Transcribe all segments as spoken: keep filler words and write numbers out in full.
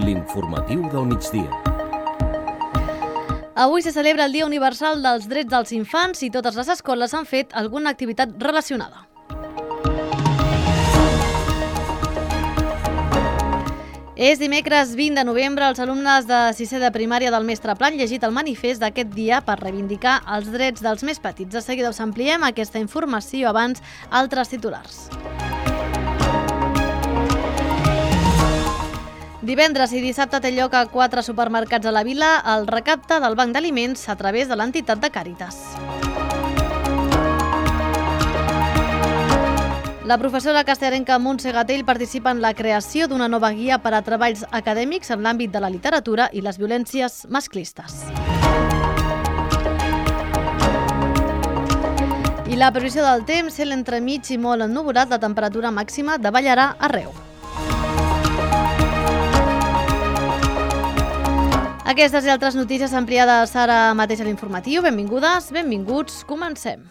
L'informatiu del migdia. Avui se celebra el Dia Universal dels Drets dels Infants i totes les escoles han fet alguna activitat relacionada. És dimecres vint de novembre. Els alumnes de sisè de primària del Mestre Pla han llegit el manifest d'aquest dia per reivindicar els drets dels més petits. De seguida us ampliem aquesta informació, abans altres titulars. Divendres i dissabte té lloc a quatre supermercats a la vila el recapte del Banc d'Aliments a través de l'entitat de Càritas. La professora castellarenca Montse Gatell participa en la creació d'una nova guia per a treballs acadèmics en l'àmbit de la literatura i les violències masclistes. I la previsió del temps, cel entremig i molt ennuvolat, la temperatura màxima davallarà arreu. Aquestes i altres notícies ampliades ara mateix a l'informatiu. Benvingudes, benvinguts, comencem.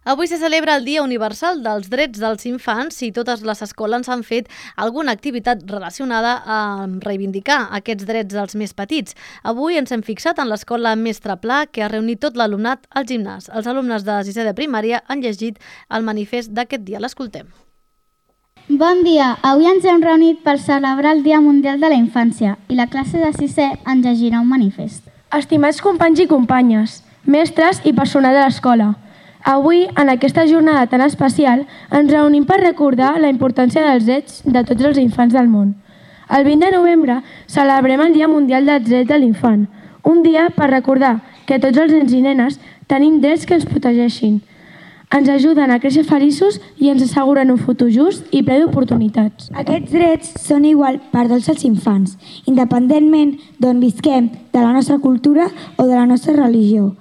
Avui se celebra el Dia Universal dels Drets dels Infants i totes les escoles han fet alguna activitat relacionada amb reivindicar aquests drets dels més petits. Avui ens hem fixat en l'escola Mestre Pla, que ha reunit tot l'alumnat al gimnàs. Els alumnes de sisè de primària han llegit el manifest d'aquest dia. L'escoltem. Bon dia! Avui ens hem reunit per celebrar el Dia Mundial de la Infància i la classe de sisè ens llegirà un manifest. Estimats companys i companyes, mestres i personal de l'escola, avui, en aquesta jornada tan especial, ens reunim per recordar la importància dels drets de tots els infants del món. El vint de novembre celebrem el Dia Mundial dels Drets de l'Infant, un dia per recordar que tots els nens i nenes tenim drets que ens protegeixin. Ens ajuden a créixer feliços i ens asseguren un futur just i ple d'oportunitats. Aquests drets són igual per tots els infants, independentment d'on visquem, de la nostra cultura o de la nostra religió.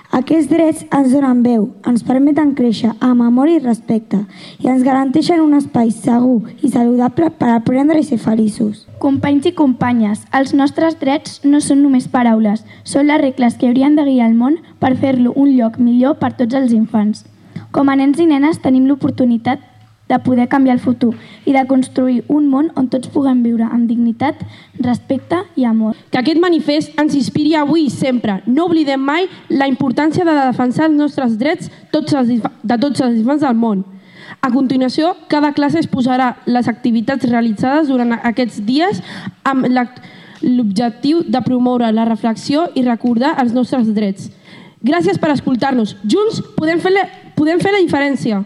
Aquests drets ens donen veu, ens permeten créixer amb amor i respecte i ens garanteixen un espai segur i saludable per aprendre i ser feliços. Companys i companyes, els nostres drets no són només paraules, són les regles que haurien de guiar el món per fer-lo un lloc millor per tots els infants. Com a nens i nenes tenim l'oportunitat de poder canviar el futur i de construir un món on tots puguem viure amb dignitat, respecte i amor. Que aquest manifest ens inspiri avui i sempre. No oblidem mai la importància de defensar els nostres drets tots els, de tots els infants del món. A continuació, cada classe exposarà les activitats realitzades durant aquests dies amb l'objectiu de promoure la reflexió i recordar els nostres drets. Gràcies per escoltar-nos. Junts podem fer la, podem fer la diferència.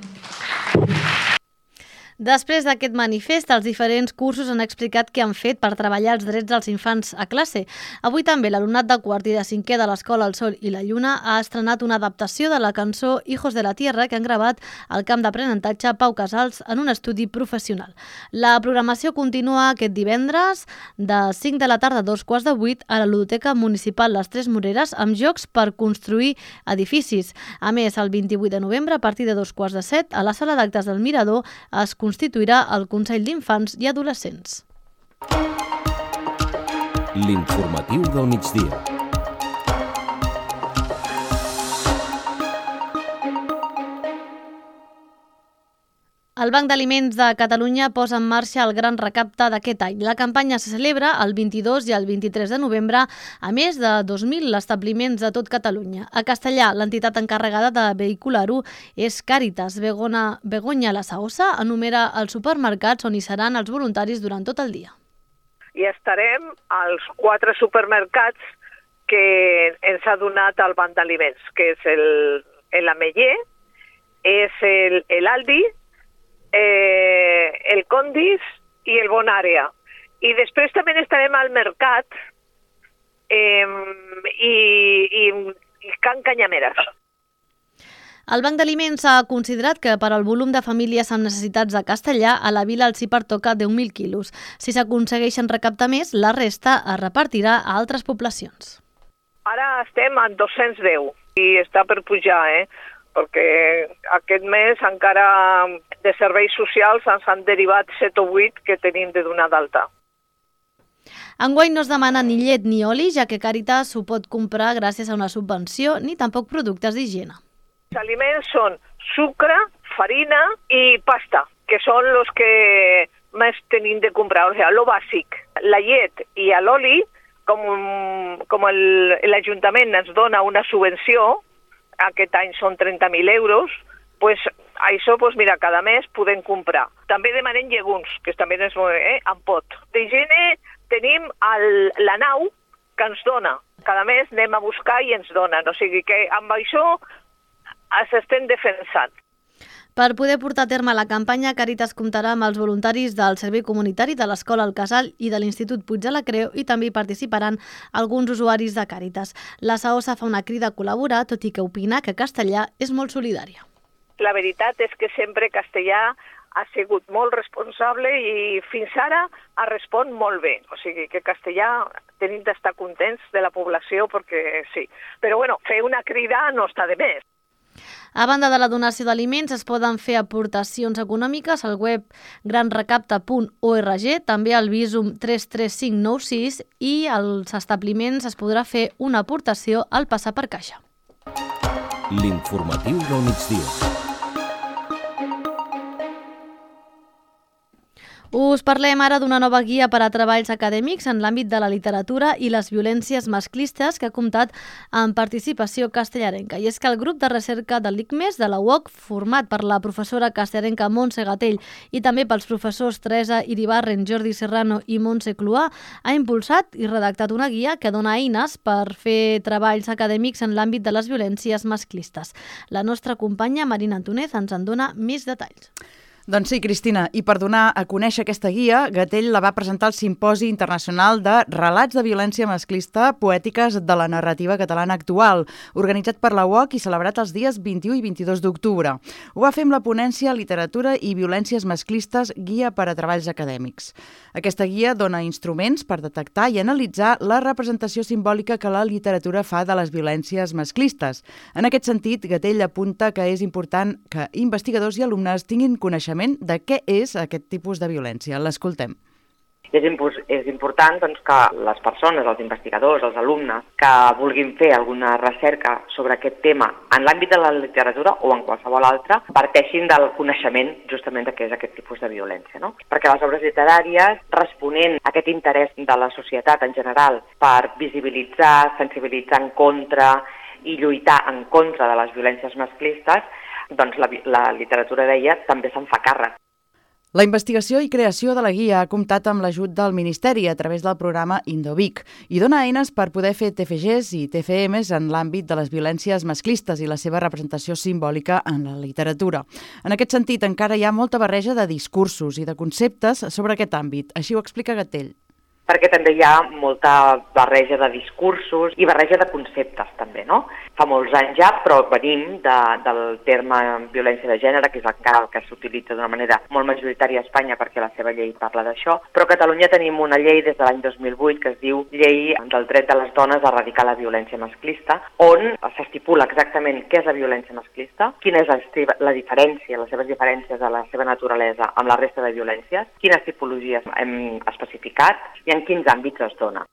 Després d'aquest manifest, els diferents cursos han explicat què han fet per treballar els drets dels infants a classe. Avui també l'alumnat de quart i de cinquè de l'Escola El Sol i la Lluna ha estrenat una adaptació de la cançó Hijos de la Tierra que han gravat al camp d'aprenentatge Pau Casals en un estudi professional. La programació continua aquest divendres de cinc de la tarda a dos quarts de vuit a la Ludoteca Municipal Les Tres Moreres amb jocs per construir edificis. A més, el vint-i-vuit de novembre, a partir de dos quarts de set, a la sala d'actes del Mirador es constituirà el Consell d'Infants i Adolescents. L'informatiu del migdia. El Banc d'Aliments de Catalunya posa en marxa el gran recapte d'aquest any. La campanya se celebra el vint-i-dos i el vint-i-tres de novembre a més de dos mil establiments de tot Catalunya. A Castellà, l'entitat encarregada de vehicular-ho és Càritas. Begona, Begoña La Saosa enumera els supermercats on hi seran els voluntaris durant tot el dia. I estarem als quatre supermercats que ens ha donat el Banc d'Aliments, que és el, el Ameller, és el, el Aldi, Eh, el Condis i el Bonàrea. I després també estarem al mercat eh, i, i, i Can Canyameres. El Banc d'Aliments ha considerat que per al volum de famílies amb necessitats de Castellà, a la vila els hi pertoca deu mil quilos. Si s'aconsegueixen recaptar més, la resta es repartirà a altres poblacions. Ara estem en dos-cents deu i està per pujar, eh? perquè aquest mes encara de serveis socials ens han derivat set o vuit que tenim de donar d'alta. Enguany no es demana ni llet ni oli, ja que Càritas ho pot comprar gràcies a una subvenció, ni tampoc productes d'higiene. Els aliments són sucre, farina i pasta, que que són els que més tenim de comprar, o sigui, lo bàsic. La llet i l'oli, com, com l'Ajuntament ens dona una subvenció, aquest any són trenta mil euros, pues, això, pues, mira, cada mes podem comprar. També demanem llegums, que també és eh, en pot. D'higiene tenim el, la nau que ens dona. Cada mes anem a buscar i ens donen. O sigui que amb això s'estem defensant. Per poder portar a terme la campanya, Càritas comptarà amb els voluntaris del Servei Comunitari de l'Escola El Casal i de l'Institut Puig de la Creu i també hi participaran alguns usuaris de Càritas. La SAOSA fa una crida a col·laborar, tot i que opina que Castellà és molt solidària. La veritat és que sempre Castellà ha sigut molt responsable i fins ara ha respon molt bé. O sigui que Castellà tenim d'estar contents de la població perquè sí. Però bueno, fer una crida no està de més. A banda de la donació d'aliments, es poden fer aportacions econòmiques al web gran recapta punt org, també al Visum tres tres cinc nou sis i als establiments es podrà fer una aportació al passar per caixa. L'informatiu del migdia. Us parlem ara d'una nova guia per a treballs acadèmics en l'àmbit de la literatura i les violències masclistes que ha comptat amb participació castellarenca. I és que el grup de recerca de l'I C M E S de la U O C, format per la professora castellarenca Montse Gatell i també pels professors Teresa Iribarren, Jordi Serrano i Montse Cluà, ha impulsat i redactat una guia que dona eines per fer treballs acadèmics en l'àmbit de les violències masclistes. La nostra companya Marina Antúnez ens en dona més detalls. Doncs sí, Cristina, i per donar a conèixer aquesta guia, Gatell la va presentar al Simposi Internacional de Relats de Violència Masclista Poètiques de la Narrativa Catalana Actual, organitzat per la U O C i celebrat els dies vint-i-u i vint-i-dos d'octubre. Ho va fer amb la ponència Literatura i Violències Masclistes, guia per a treballs acadèmics. Aquesta guia dona instruments per detectar i analitzar la representació simbòlica que la literatura fa de les violències masclistes. En aquest sentit, Gatell apunta que és important que investigadors i alumnes tinguin coneixement de què és aquest tipus de violència. L'escoltem. És, impo- és important doncs, que les persones, els investigadors, els alumnes, que vulguin fer alguna recerca sobre aquest tema en l'àmbit de la literatura o en qualsevol altre, parteixin del coneixement justament de què és aquest tipus de violència. No? Perquè les obres literàries, responent a aquest interès de la societat en general per visibilitzar, sensibilitzar en contra i lluitar en contra de les violències masclistes, doncs la, la literatura d'ella també se'n fa càrrec. La investigació i creació de la guia ha comptat amb l'ajut del Ministeri a través del programa Indovic i dona eines per poder fer T F Gs i T F Ms en l'àmbit de les violències masclistes i la seva representació simbòlica en la literatura. En aquest sentit, encara hi ha molta barreja de discursos i de conceptes sobre aquest àmbit. Així ho explica Gatell. Perquè també hi ha molta barreja de discursos i barreja de conceptes també, no? Fa molts anys ja, però venim de, del terme violència de gènere, que és encara el que s'utilitza d'una manera molt majoritària a Espanya perquè la seva llei parla d'això, però a Catalunya tenim una llei des de l'any dos mil vuit que es diu Llei del dret de les dones a erradicar la violència masclista, on s'estipula exactament què és la violència masclista, quina és la, la diferència, les seves diferències de la seva naturalesa amb la resta de violències, quines tipologies hem especificat i en quins àmbits es dona.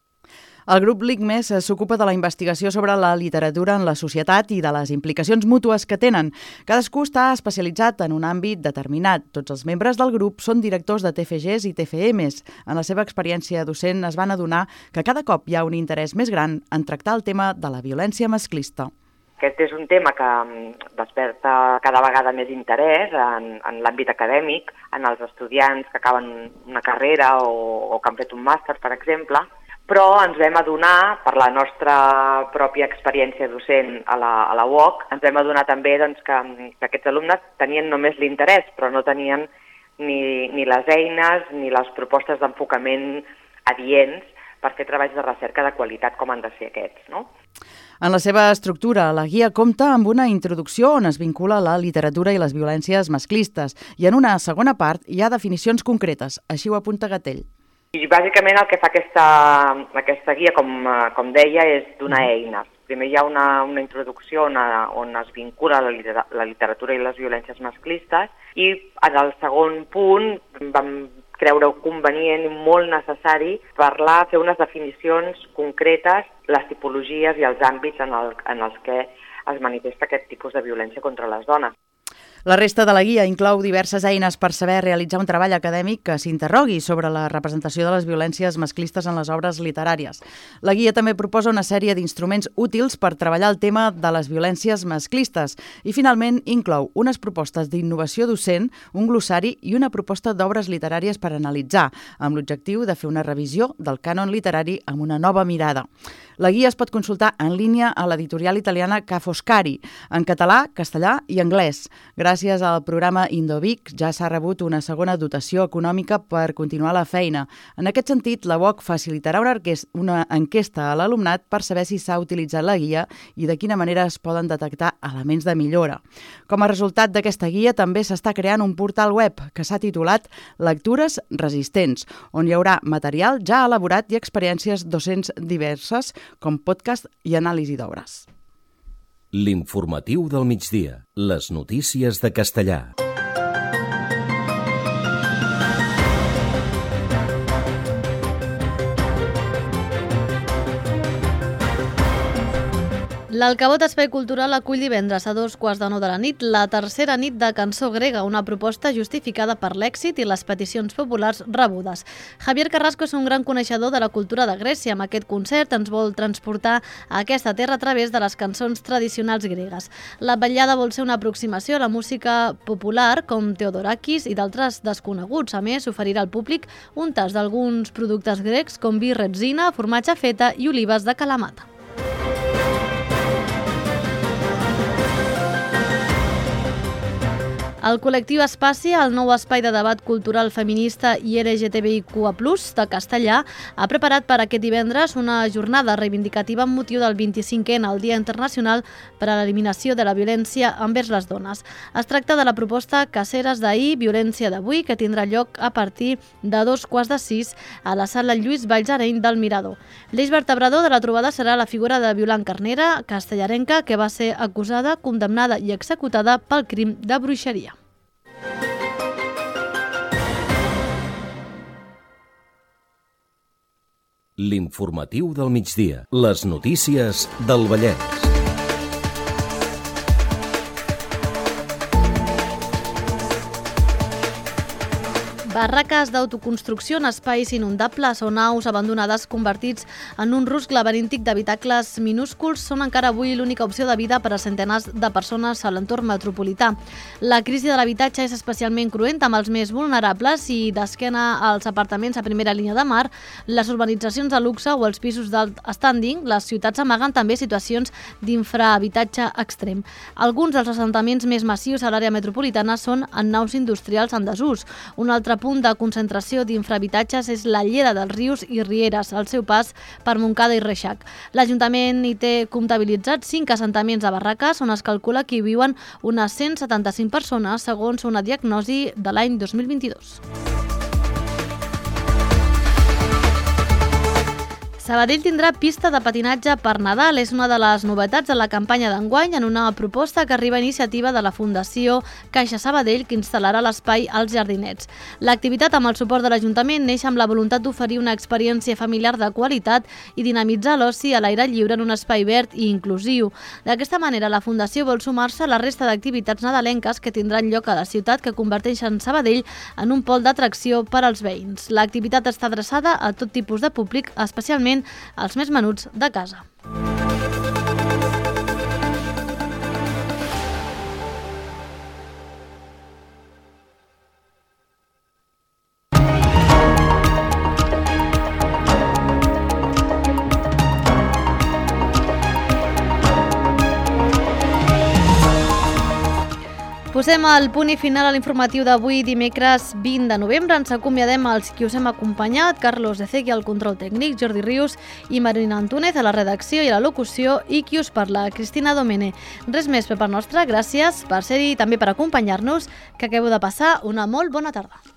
El grup L I C M E S s'ocupa de la investigació sobre la literatura en la societat i de les implicacions mútues que tenen. Cadascú està especialitzat en un àmbit determinat. Tots els membres del grup són directors de T F Gs i T F Ms. En la seva experiència docent es van adonar que cada cop hi ha un interès més gran en tractar el tema de la violència masclista. Aquest és un tema que desperta cada vegada més interès en, en l'àmbit acadèmic, en els estudiants que acaben una carrera o, o que han fet un màster, per exemple, però ens vam adonar, per la nostra pròpia experiència docent a la, a la U O C, ens vam adonar també doncs, que, que aquests alumnes tenien només l'interès, però no tenien ni, ni les eines ni les propostes d'enfocament adients per fer treballs de recerca de qualitat com han de ser aquests, no? En la seva estructura, la guia compta amb una introducció on es vincula la literatura i les violències masclistes i en una segona part hi ha definicions concretes, així ho apunta Gatell. I bàsicament el que fa aquesta, aquesta guia, com, com deia, és donar eines. Primer hi ha una, una introducció on, on es vincula la, la literatura i les violències masclistes i en el segon punt vam creure convenient i molt necessari parlar, fer unes definicions concretes, les tipologies i els àmbits en, el, en els que es manifesta aquest tipus de violència contra les dones. La resta de la guia inclou diverses eines per saber realitzar un treball acadèmic que s'interrogui sobre la representació de les violències masclistes en les obres literàries. La guia també proposa una sèrie d'instruments útils per treballar el tema de les violències masclistes i, finalment, inclou unes propostes d'innovació docent, un glossari i una proposta d'obres literàries per analitzar, amb l'objectiu de fer una revisió del cànon literari amb una nova mirada. La guia es pot consultar en línia a l'editorial italiana Ca' Foscari, en català, castellà i anglès. Gràcies al programa Indovic ja s'ha rebut una segona dotació econòmica per continuar la feina. En aquest sentit, la U O C facilitarà una, una enquesta a l'alumnat per saber si s'ha utilitzat la guia i de quina manera es poden detectar elements de millora. Com a resultat d'aquesta guia també s'està creant un portal web que s'ha titulat Lectures Resistents, on hi haurà material ja elaborat i experiències docents diverses com podcast i anàlisi d'obres. L'informatiu del migdia. Les notícies de Castellà. L'Alcavot Espai Cultural acull divendres a dos quarts de nou de la nit la tercera nit de cançó grega, una proposta justificada per l'èxit i les peticions populars rebudes. Javier Carrasco és un gran coneixedor de la cultura de Grècia. Amb aquest concert ens vol transportar a aquesta terra a través de les cançons tradicionals gregues. La vetllada vol ser una aproximació a la música popular com Theodorakis i d'altres desconeguts. A més, oferirà al públic un tast d'alguns productes grecs com vi retzina, formatge feta i olives de Kalamata. El col·lectiu Espaci, el nou espai de debat cultural feminista i L G T B I Q A plus, de Castellà, ha preparat per aquest divendres una jornada reivindicativa amb motiu del vint-i-cinquè, el Dia Internacional per a l'Eliminació de la Violència envers les Dones. Es tracta de la proposta Caceres d'ahir, violència d'avui, que tindrà lloc a partir de dos quarts de sis a la sala Lluís Vallsareny del Mirador. L'eix vertebrador de la trobada serà la figura de Violant Carnera, castellarenca, que va ser acusada, condemnada i executada pel crim de bruixeria. L'informatiu del migdia. Les notícies del Vallès. Barraques d'autoconstrucció en espais inundables o naus abandonades convertits en un rusc laberíntic d'habitacles minúsculs són encara avui l'única opció de vida per a centenars de persones a l'entorn metropolità. La crisi de l'habitatge és especialment cruenta amb els més vulnerables i d'esquena als apartaments a primera línia de mar, les urbanitzacions de luxe o els pisos d'alt standing, les ciutats amaguen també situacions d'infrahabitatge extrem. Alguns dels assentaments més massius a l'àrea metropolitana són en naus industrials en desús. Un altre punt de concentració d'infrahabitatges és la llera dels rius i rieres, al seu pas per Montcada i Reixac. L'Ajuntament hi té comptabilitzats cinc assentaments de barraques on es calcula que hi viuen unes cent setanta-cinc persones, segons una diagnosi de l'any dos mil vint-i-dos. Sabadell tindrà pista de patinatge per Nadal. És una de les novetats de la campanya d'enguany en una proposta que arriba a iniciativa de la Fundació Caixa Sabadell, que instal·larà l'espai als Jardinets. L'activitat, amb el suport de l'Ajuntament, neix amb la voluntat d'oferir una experiència familiar de qualitat i dinamitzar l'oci a l'aire lliure en un espai verd i inclusiu. D'aquesta manera, la Fundació vol sumar-se a la resta d'activitats nadalenques que tindran lloc a la ciutat, que converteixen Sabadell en un pol d'atracció per als veïns. L'activitat està adreçada a tot tipus de públic, especialment els més menuts de casa. Posem el punt i final a l'informatiu d'avui, dimecres vint de novembre. Ens acomiadem als qui us hem acompanyat: Carlos Ezegui al control tècnic, Jordi Rius i Marina Antúnez a la redacció i a la locució, i qui us parla, Cristina Domene. Res més per part nostra, gràcies per ser-hi i també per acompanyar-nos, que acabeu de passar una molt bona tarda.